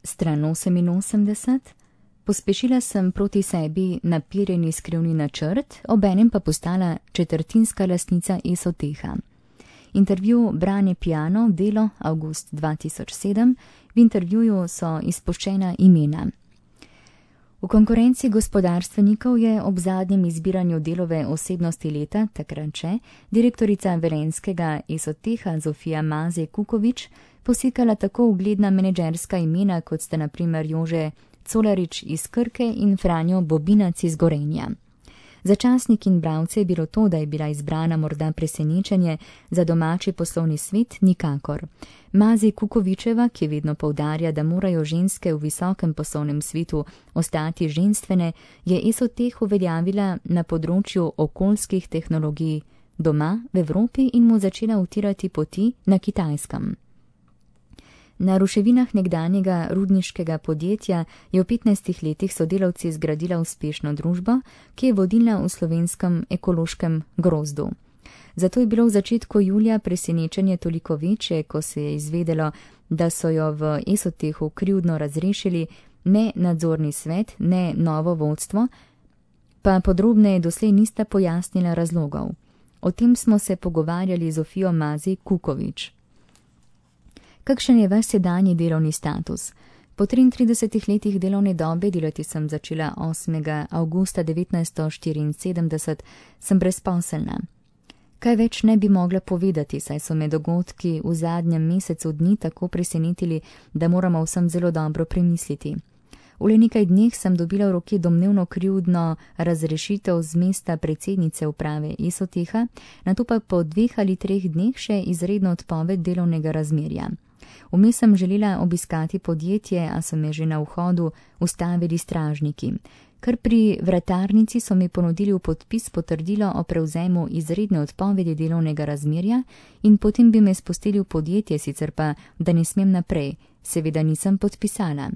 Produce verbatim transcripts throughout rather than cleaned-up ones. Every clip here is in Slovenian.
Stran oseminosemdeset. Pospešila sem proti sebi napirjeni skrivni načrt, obenem pa postala četrtinska lastnica Esoteha. Intervju Brane Piano, Delo, avgust dva tisoč sedem. V intervjuju so izpuščena imena. V konkurenci gospodarstvenikov je ob zadnjem izbiranju Delove osebnosti leta, takrat še, direktorica velenjskega Esoteha Zofija Mazej Kukovič posikala tako ugledna menedžerska imena, kot sta na primer Jože Colarič iz Krke in Franjo Bobinac iz Gorenja. Za časnik in bralce je bilo to, da je bila izbrana morda presenečenje, za domači poslovni svet nikakor. Mazej Kukovičeva, ki vedno poudarja, da morajo ženske v visokem poslovnem svetu ostati ženstvene, je Esoteh uveljavila na področju okoljskih tehnologij doma v Evropi in mu začela utirati poti na Kitajskem. Na ruševinah nekdanjega rudniškega podjetja je v petnajstih letih sodelavci zgradila uspešno družbo, ki je vodilna v slovenskem ekološkem grozdu. Zato je bilo v začetku julija presenečenje toliko večje, ko se je izvedelo, da so jo v Esotehu krivdno razrešili ne nadzorni svet, ne novo vodstvo, pa podrobneje doslej nista pojasnila razlogov. O tem smo se pogovarjali z Zofijo Mazej Kukovič. Kakšen je vaš sedanji delovni status? Po triintridesetih letih delovne dobe, delati sem začela osmega avgusta devetnajststo štiriinsedemdeset, sem brezposelna. Kaj več ne bi mogla povedati, saj so me dogodki v zadnjem mesecu dni tako presenetili, da moramo vsem zelo dobro premisliti. V le nekaj dneh sem dobila v roki domnevno krivdno razrešitev z mesta predsednice uprave Esoteha, nato pa po dveh ali treh dneh še izredno odpoved delovnega razmerja. Vmes sem želela obiskati podjetje, a so me že na vhodu ustavili stražniki. Kar pri vratarnici so mi ponudili v podpis potrdilo o prevzemu izredne odpovedi delovnega razmerja in potem bi me spustili v podjetje, sicer pa, da ne smem naprej. Seveda nisem podpisala.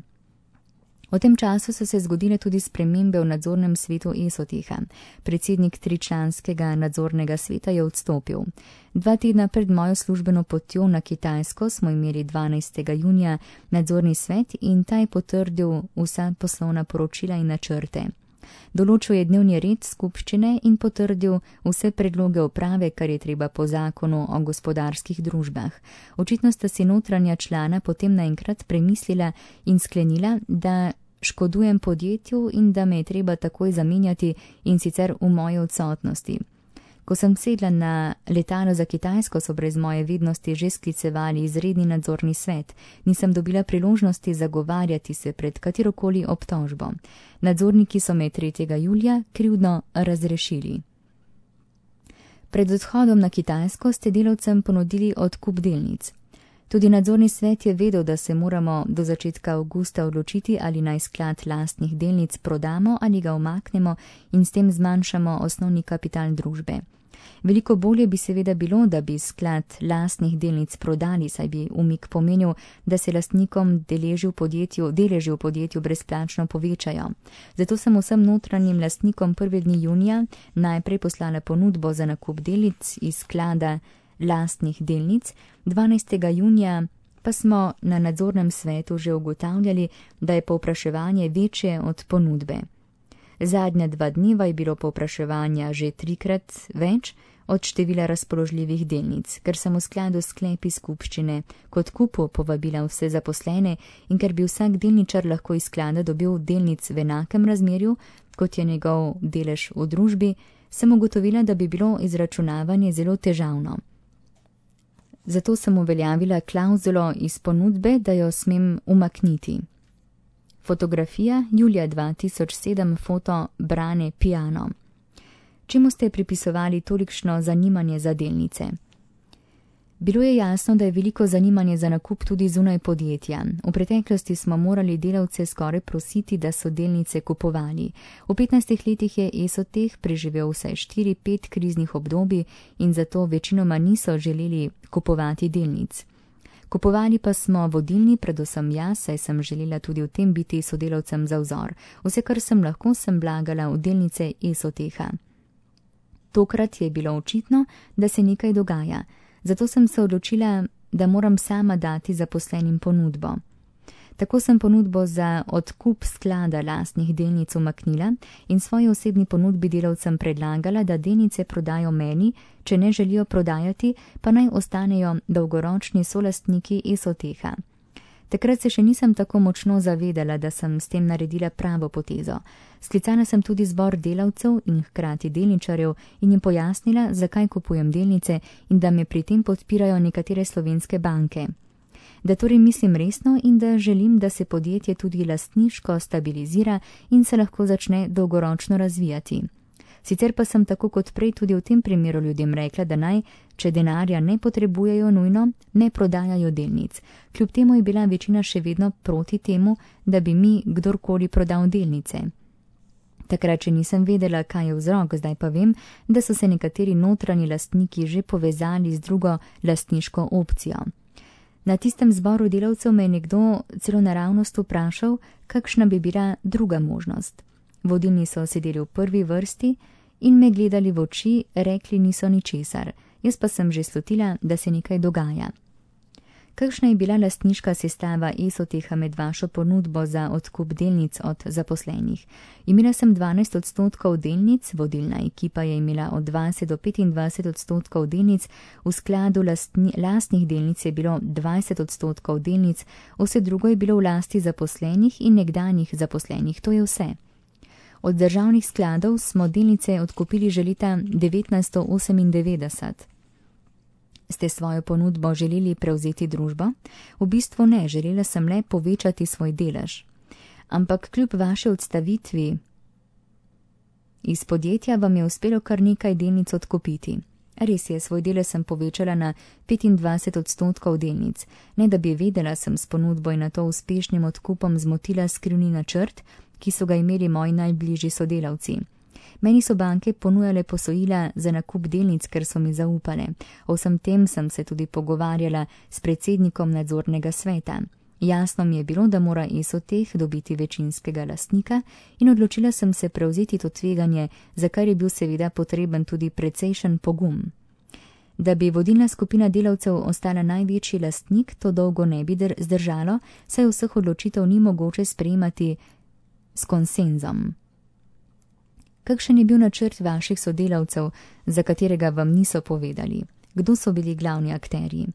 V tem času so se zgodile tudi spremembe v nadzornem svetu Esoteha. Predsednik tričlanskega nadzornega sveta je odstopil. Dva tedna pred mojo službeno potjo na Kitajsko smo imeli dvanajstega junija nadzorni svet in ta je potrdil vsa poslovna poročila in načrte. Določil je dnevni red skupščine in potrdil vse predloge uprave, kar je treba po zakonu o gospodarskih družbah. Očitno sta si notranja člana potem naenkrat premislila in sklenila, da škodujem podjetju in da me je treba takoj zamenjati in sicer v moji odsotnosti. Ko sem sedla na letalo za Kitajsko, so brez moje vednosti že sklicevali izredni nadzorni svet. Nisem dobila priložnosti zagovarjati se pred katerokoli obtožbo. Nadzorniki so me tretjega julija krivdno razrešili. Pred odhodom na Kitajsko ste delavcem ponudili odkup delnic. Tudi nadzorni svet je vedel, da se moramo do začetka avgusta odločiti, ali naj sklad lastnih delnic prodamo ali ga umaknemo in s tem zmanjšamo osnovni kapital družbe. Veliko bolje bi seveda bilo, da bi sklad lastnih delnic prodali, saj bi umik pomenil, da se lastnikom deleži v podjetju, deleži v podjetju brezplačno povečajo. Zato sem vsem notranjim lastnikom prve dni junija najprej poslala ponudbo za nakup delnic iz sklada lastnih delnic, dvanajstega junija pa smo na nadzornem svetu že ugotavljali, da je povpraševanje večje od ponudbe. Zadnja dva dneva je bilo povpraševanja že trikrat več od števila razpoložljivih delnic, ker sem v skladu s sklepi skupščine kot kupu povabila vse zaposlene in ker bi vsak delničar lahko iz sklada dobil delnic v enakem razmerju, kot je njegov delež v družbi, sem ugotovila, da bi bilo izračunavanje zelo težavno. Zato sem uveljavila klavzulo iz ponudbe, da jo smem umakniti. Fotografija julija dva tisoč sedem, foto Brane Piano. Čemu ste pripisovali tolikšno zanimanje za delnice? Bilo je jasno, da je veliko zanimanje za nakup tudi zunaj podjetja. V preteklosti smo morali delavce skoraj prositi, da so delnice kupovali. V petnajstih letih je Esoteh preživel vsaj štiri pet kriznih obdobij in zato večinoma niso želeli kupovati delnic. Kupovali pa smo vodilni, predvsem jaz, saj sem želela tudi v tem biti sodelavcem za vzor. Vse, kar sem lahko, sem vlagala v delnice Esoteha. Tokrat je bilo očitno, da se nekaj dogaja. Zato sem se odločila, da moram sama dati zaposlenim ponudbo. Tako sem ponudbo za odkup sklada lastnih delnic umaknila in svoji osebni ponudbi delavcem predlagala, da delnice prodajo meni, če ne želijo prodajati, pa naj ostanejo dolgoročni solastniki Esoteha. Takrat se še nisem tako močno zavedala, da sem s tem naredila pravo potezo. Sklicala sem tudi zbor delavcev in hkrati delničarjev in jim pojasnila, zakaj kupujem delnice in da me pri tem podpirajo nekatere slovenske banke. Da torej mislim resno in da želim, da se podjetje tudi lastniško stabilizira in se lahko začne dolgoročno razvijati. Sicer pa sem tako kot prej tudi v tem primeru ljudem rekla, da naj, če denarja ne potrebujejo nujno, ne prodajajo delnic. Kljub temu je bila večina še vedno proti temu, da bi mi kdorkoli prodal delnice. Takrat, če nisem vedela, kaj je vzrok, zdaj pa vem, da so se nekateri notranji lastniki že povezali z drugo lastniško opcijo. Na tistem zboru delavcev me je nekdo celo naravnost vprašal, kakšna bi bila druga možnost. Vodilni so sedeli v prvi vrsti in me gledali v oči, rekli niso ničesar. Jaz pa sem že slutila, da se nekaj dogaja. Kakšna je bila lastniška sestava Esoteha med vašo ponudbo za odkup delnic od zaposlenih? Imela sem dvanajst odstotkov delnic, vodilna ekipa je imela od dvajset do petindvajset odstotkov delnic, v skladu lastni, lastnih delnic je bilo dvajset odstotkov delnic, vse drugo je bilo v lasti zaposlenih in nekdanjih zaposlenih, to je vse. Od državnih skladov smo delnice odkupili že leta devetnajststo osemindevetdeset. Ste svojo ponudbo želeli prevzeti družbo? V bistvu ne, želela sem le povečati svoj delež. Ampak kljub vaši odstavitvi iz podjetja vam je uspelo kar nekaj delnic odkupiti. Res je, svoj delež sem povečala na petindvajset odstotkov delnic. Ne da bi vedela, sem s ponudbo in na to uspešnim odkupom zmotila skrivni načrt, ki so ga imeli moji najbližji sodelavci. Meni so banke ponujale posojila za nakup delnic, ker so mi zaupale. O vsem tem sem se tudi pogovarjala s predsednikom nadzornega sveta. Jasno mi je bilo, da mora Esoteh dobiti večinskega lastnika in odločila sem se prevzeti to tveganje, za kar je bil seveda potreben tudi precejšen pogum. Da bi vodilna skupina delavcev ostala največji lastnik, to dolgo ne bi zdržalo, saj vseh odločitev ni mogoče sprejemati s konsenzom. Kakšen je bil načrt vaših sodelavcev, za katerega vam niso povedali? Kdo so bili glavni akterji?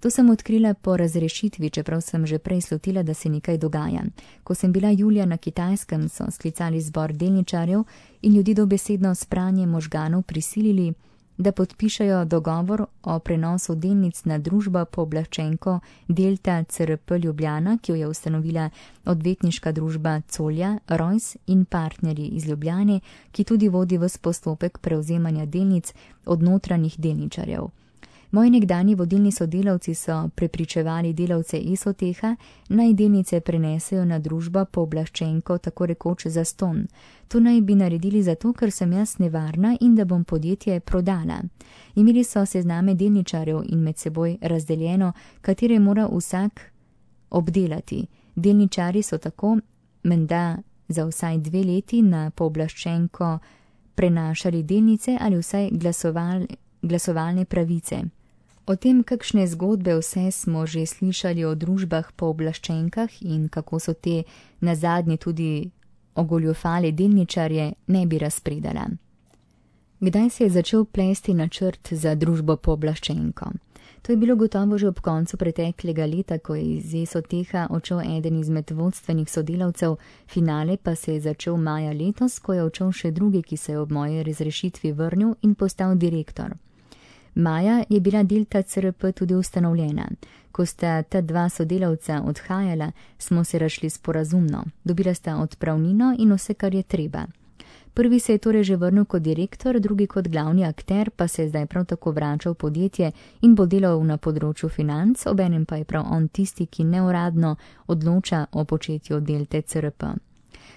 To sem odkrila po razrešitvi, čeprav sem že prej slutila, da se nekaj dogaja. Ko sem bila julija na Kitajskem, so sklicali zbor delničarjev in ljudi dobesedno s pranjem možganov prisilili, da podpišajo dogovor o prenosu delnic na družbo pooblaščenko Delta C R P Ljubljana, ki jo je ustanovila odvetniška družba Colja, Rojs in partnerji iz Ljubljane, ki tudi vodi ves postopek prevzemanja delnic od notranjih delničarjev. Moji nekdani vodilni sodelavci so prepričevali delavce Esoteha, naj delnice prenesejo na družbo pooblaščenko tako rekoč zastonj. To naj bi naredili zato, ker sem jaz nevarna in da bom podjetje prodala. Imeli so sezname delničarjev in med seboj razdeljeno, katere mora vsak obdelati. Delničari so tako menda za vsaj dve leti na pooblaščenko prenašali delnice ali vsaj glasoval, glasovalne pravice. O tem, kakšne zgodbe vse smo že slišali o družbah pooblaščenkah in kako so te nazadnje tudi ogoljufale delničarje, ne bi razpredala. Kdaj se je začel plesti načrt za družbo pooblaščenko? To je bilo gotovo že ob koncu preteklega leta, ko je iz Esoteha odšel eden izmed vodstvenih sodelavcev, finale pa se je začel maja letos, ko je odšel še drugi, ki se je ob moji razrešitvi vrnil in postal direktor. Maja je bila Delta C R P tudi ustanovljena. Ko sta ta dva sodelavca odhajala, smo se razšli sporazumno. Dobila sta odpravnino in vse, kar je treba. Prvi se je torej že vrnil kot direktor, drugi kot glavni akter, pa se je zdaj prav tako vračal v podjetje in bo delal na področju financ, obenem pa je prav on tisti, ki neuradno odloča o početju Delte C R P.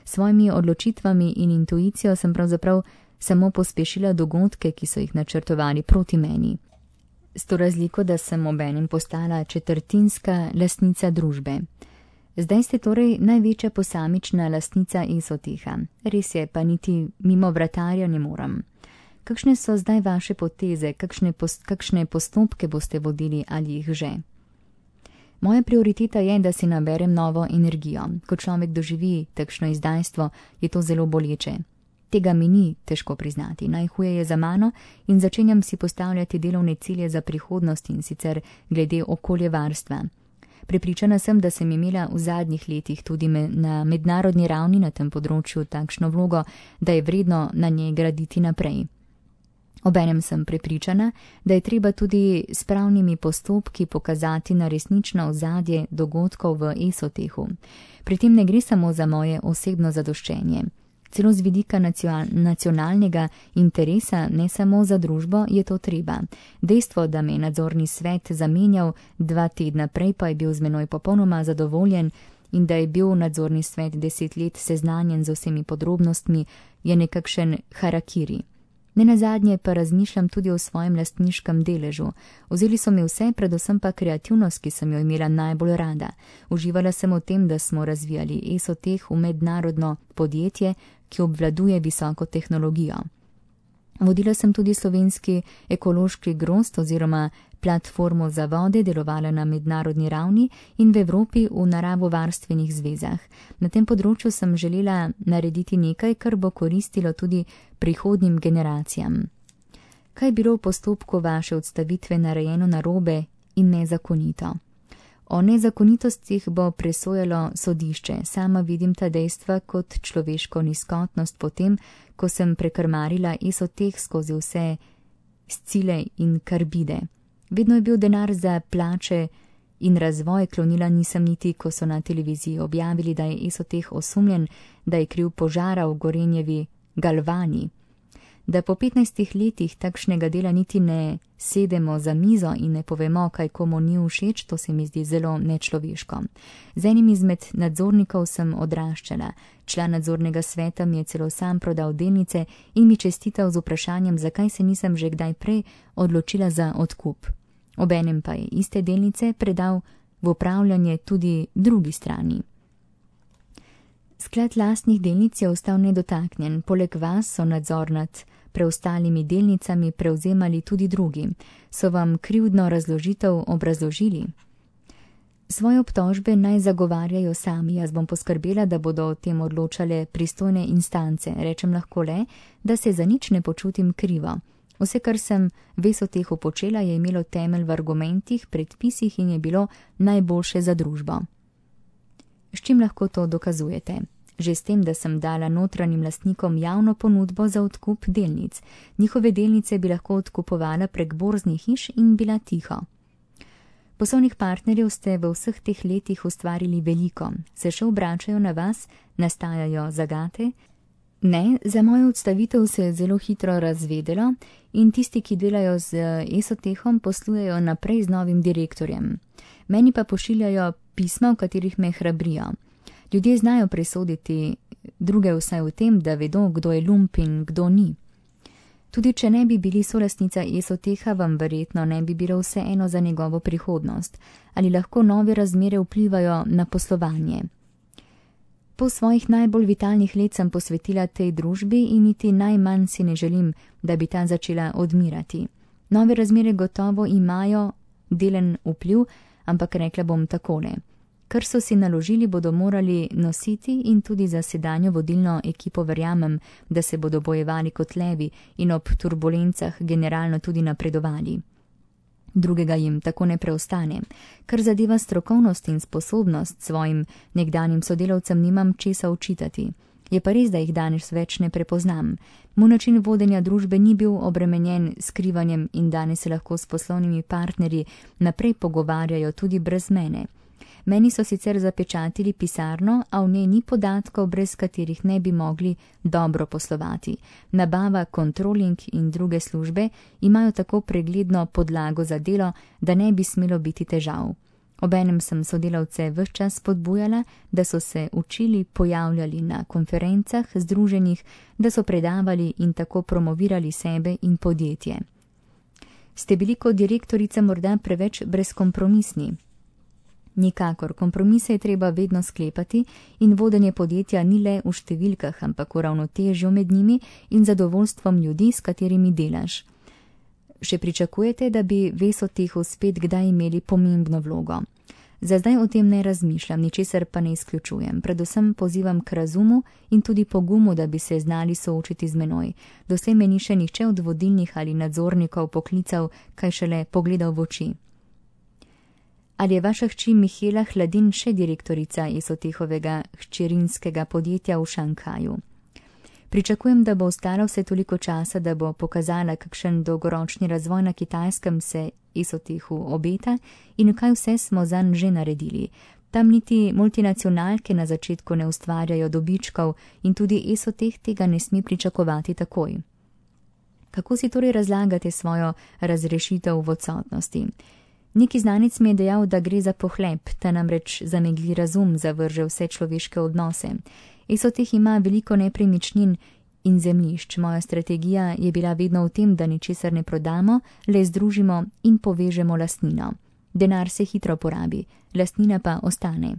Svojimi odločitvami in intuicijo sem pravzaprav samo pospešila dogodke, ki so jih načrtovali proti meni. S to razliko, da sem obenem postala četrtinska lastnica družbe. Zdaj ste torej največja posamična lastnica Esoteha. Res je, pa niti mimo vratarja ne moram. Kakšne so zdaj vaše poteze, kakšne, post, kakšne postopke boste vodili ali jih že? Moja prioriteta je, da si naberem novo energijo. Ko človek doživi takšno izdajstvo, je to zelo boleče. Tega mi ni težko priznati. Najhuje je za mano in začenjam si postavljati delovne cilje za prihodnost in sicer glede okoljevarstva. Prepričana sem, da sem imela v zadnjih letih tudi me, na mednarodni ravni na tem področju takšno vlogo, da je vredno na njej graditi naprej. Obenem sem prepričana, da je treba tudi s pravnimi postopki pokazati na resnično ozadje dogodkov v Esotehu. Pri tem ne gre samo za moje osebno zadoščenje. Celo z vidika nacionalnega interesa, ne samo za družbo, je to treba. Dejstvo, da me je nadzorni svet zamenjal, dva tedna prej pa je bil z menoj popolnoma zadovoljen in da je bil nadzorni svet deset let seznanjen z vsemi podrobnostmi, je nekakšen harakiri. Nenazadnje pa razmišljam tudi o svojem lastniškem deležu. Vzeli so mi vse, predvsem pa kreativnost, ki sem jo imela najbolj rada. Uživala sem v tem, da smo razvijali Esoteh v mednarodno podjetje, ki obvladuje visoko tehnologijo. Vodila sem tudi slovenski ekološki grozd oziroma platformo za vode, delovala na mednarodni ravni in v Evropi v naravovarstvenih zvezah. Na tem področju sem želela narediti nekaj, kar bo koristilo tudi prihodnjim generacijam. Kaj je bilo v postopku vaše odstavitve narejeno narobe in nezakonito? O nezakonitostih bo presojalo sodišče. Sama vidim ta dejstva kot človeško nizkotnost potem, ko sem prekrmarila Esoteh skozi vse scile in karbide. Vedno je bil denar za plače in razvoj, klonila nisem niti, ko so na televiziji objavili, da je Esoteh osumljen, da je kriv požara v Gorenjevi Galvani. Da po petnajstih letih takšnega dela niti ne sedemo za mizo in ne povemo, kaj komu ni všeč, to se mi zdi zelo nečloveško. Z enim izmed nadzornikov sem odraščala. Član nadzornega sveta mi je celo sam prodal delnice in mi čestital z vprašanjem, zakaj se nisem že kdaj prej odločila za odkup. Obenem pa je iste delnice predal v upravljanje tudi drugi strani. Sklad lastnih delnic je ostal nedotaknjen. Poleg vas so nadzor nad preostalimi delnicami prevzemali tudi drugi. So vam krivdno razložitev obrazložili? Svoje obtožbe naj zagovarjajo sami. Jaz bom poskrbela, da bodo o tem odločale pristojne instance. Rečem lahko le, da se za nič ne počutim krivo. Vse, kar sem v Esotehu počela, je imelo temelj v argumentih, predpisih in je bilo najboljše za družbo. S čim lahko to dokazujete? Že s tem, da sem dala notranjim lastnikom javno ponudbo za odkup delnic. Njihove delnice bi lahko odkupovala prek borznih hiš in bila tiho. Poslovnih partnerjev ste v vseh teh letih ustvarili veliko. Se še obračajo na vas? Nastajajo zagate? Ne, za mojo odstavitev se je zelo hitro razvedelo in tisti, ki delajo z Esotehom, poslujejo naprej z novim direktorjem. Meni pa pošiljajo pisma, v katerih me hrabrijo. Ljudje znajo presoditi druge vsaj v tem, da vedo, kdo je lump in kdo ni. Tudi če ne bi bili solastnica Esoteha, vam verjetno ne bi bilo vseeno za njegovo prihodnost. Ali lahko nove razmere vplivajo na poslovanje? Po svojih najbolj vitalnih let sem posvetila tej družbi in niti najmanj si ne želim, da bi ta začela odmirati. Nove razmere gotovo imajo delen vpliv, ampak rekla bom takole. Kar so si naložili, bodo morali nositi in tudi za sedanjo vodilno ekipo verjamem, da se bodo bojevali kot levi in ob turbulencah generalno tudi napredovali. Drugega jim tako ne preostane. Kar zadeva strokovnost in sposobnost, svojim nekdanjim sodelavcem nimam česa učitati. Je pa res, da jih danes več ne prepoznam. Moj način vodenja družbe ni bil obremenjen skrivanjem in danes se lahko s poslovnimi partnerji naprej pogovarjajo tudi brez mene. Meni so sicer zapečatili pisarno, a v njej ni podatkov, brez katerih ne bi mogli dobro poslovati. Nabava, kontroling in druge službe imajo tako pregledno podlago za delo, da ne bi smelo biti težav. Obenem sem sodelavce ves čas spodbujala, da so se učili, pojavljali na konferencah, združenjih, da so predavali in tako promovirali sebe in podjetje. Ste bili kot direktorica morda preveč brezkompromisni? Nikakor, kompromise je treba vedno sklepati in vodenje podjetja ni le v številkah, ampak v ravnotežju med njimi in zadovoljstvom ljudi, s katerimi delaš. Še pričakujete, da bi v Esotehu spet kdaj imeli pomembno vlogo? Za zdaj o tem ne razmišljam, ničesar pa ne izključujem. Predvsem pozivam k razumu in tudi pogumu, da bi se znali soočiti z menoj. Doslej me ni še nihče od vodilnih ali nadzornikov poklical, kaj šele pogledal v oči. Ali je vaša hči Mihela Hladin še direktorica Esotehovega hčerinskega podjetja v Šanghaju? Pričakujem, da bo ostala vse toliko časa, da bo pokazala, kakšen dolgoročni razvoj na Kitajskem se Esotehu obeta in kaj vse smo zanj že naredili. Tam niti multinacionalke na začetku ne ustvarjajo dobičkov in tudi Esoteh tega ne sme pričakovati takoj. Kako si torej razlagate svojo razrešitev v odsotnosti? Neki znanec mi je dejal, da gre za pohlep, ta namreč zamegli razum, zavrže vse človeške odnose. Esoteh ima veliko nepremičnin in zemljišč. Moja strategija je bila vedno v tem, da ničesar ne prodamo, le združimo in povežemo lastnino. Denar se hitro porabi, lastnina pa ostane.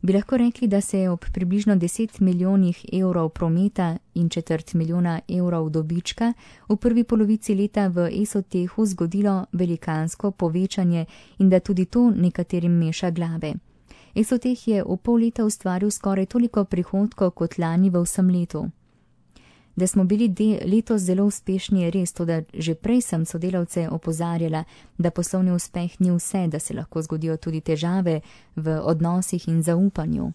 Bi lahko rekli, da se je ob približno deset milijonih evrov prometa in četrt milijona evrov dobička v prvi polovici leta v Esotehu zgodilo velikansko povečanje in da tudi to nekaterim meša glave. Esoteh je v pol leta ustvaril skoraj toliko prihodkov kot lani v vsem letu. Da smo bili de, letos zelo uspešni je res, to da že prej sem sodelavce opozarjala, da poslovni uspeh ni vse, da se lahko zgodijo tudi težave v odnosih in zaupanju.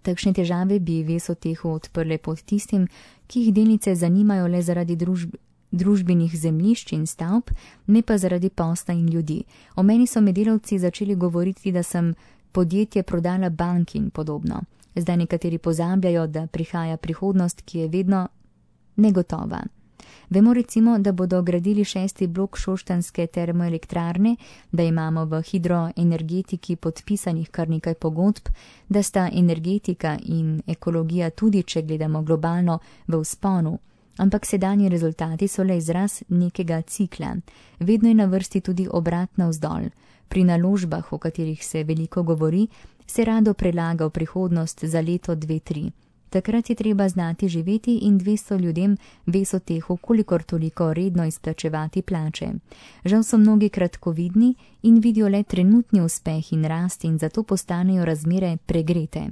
Takšne težave bi v Esotehu odprle pod tistim, ki jih delnice zanimajo le zaradi družb, družbenih zemljišč in stavb, ne pa zaradi posla in ljudi. O meni so me delavci začeli govoriti, da sem podjetje prodala banki in podobno. Zdaj nekateri pozabljajo, da prihaja prihodnost, ki je vedno negotova. Vemo recimo, da bodo gradili šesti blok šoštanske termoelektrarne, da imamo v hidroenergetiki podpisanih kar nekaj pogodb, da sta energetika in ekologija tudi, če gledamo globalno, v vzponu. Ampak sedanji rezultati so le izraz nekega cikla. Vedno je na vrsti tudi obrat navzdol. Pri naložbah, o katerih se veliko govori, se rado prelaga v prihodnost za leto, dve, tri. Takrat je treba znati živeti in dvesto ljudem v Esotehu kolikor toliko redno izplačevati plače. Žal so mnogi kratkovidni in vidijo le trenutni uspeh in rast in zato postanejo razmere pregrete.